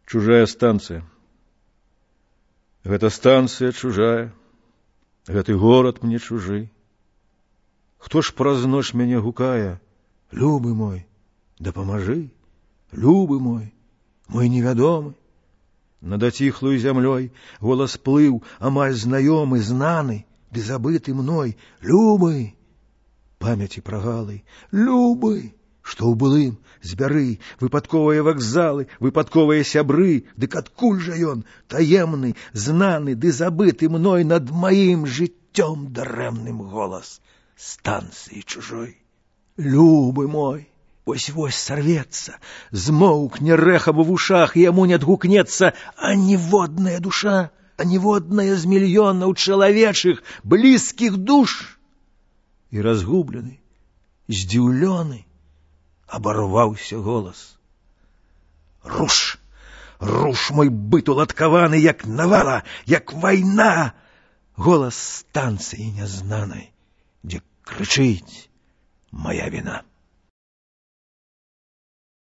Чужая станцыя. Гэта станцыя чужая, гэты горад мне чужы. Хто ж праз ноч мяне гукае? Любы мой, дапамажы, любы мой, мой невядомы. Над аціхлую зямлёй голас плыў, амаль знаёмы, знаны, ды забыты мной. Любы, памяці прагалы, любы, што ў былым збяры, выпадковыя вакзалы, выпадковыя сябры. Дык адкуль жа ён, таемны, знаны, ды забыты мной над маім жыццём дарэмным голас станцыі чужой? Любы мой, вось-вось сарвецца, змоўкне рэха ва вушах, і яму не адгукнецца аніводная душа, аніводная з мільёнаў чалавечых блізкіх душ. І разгублены, здзіўлёны, абарваўся голас. Руш, руш мой быт уладкаваны, як навала, як вайна. Голас станцыі нязнанай, дзе крычыць мая віна.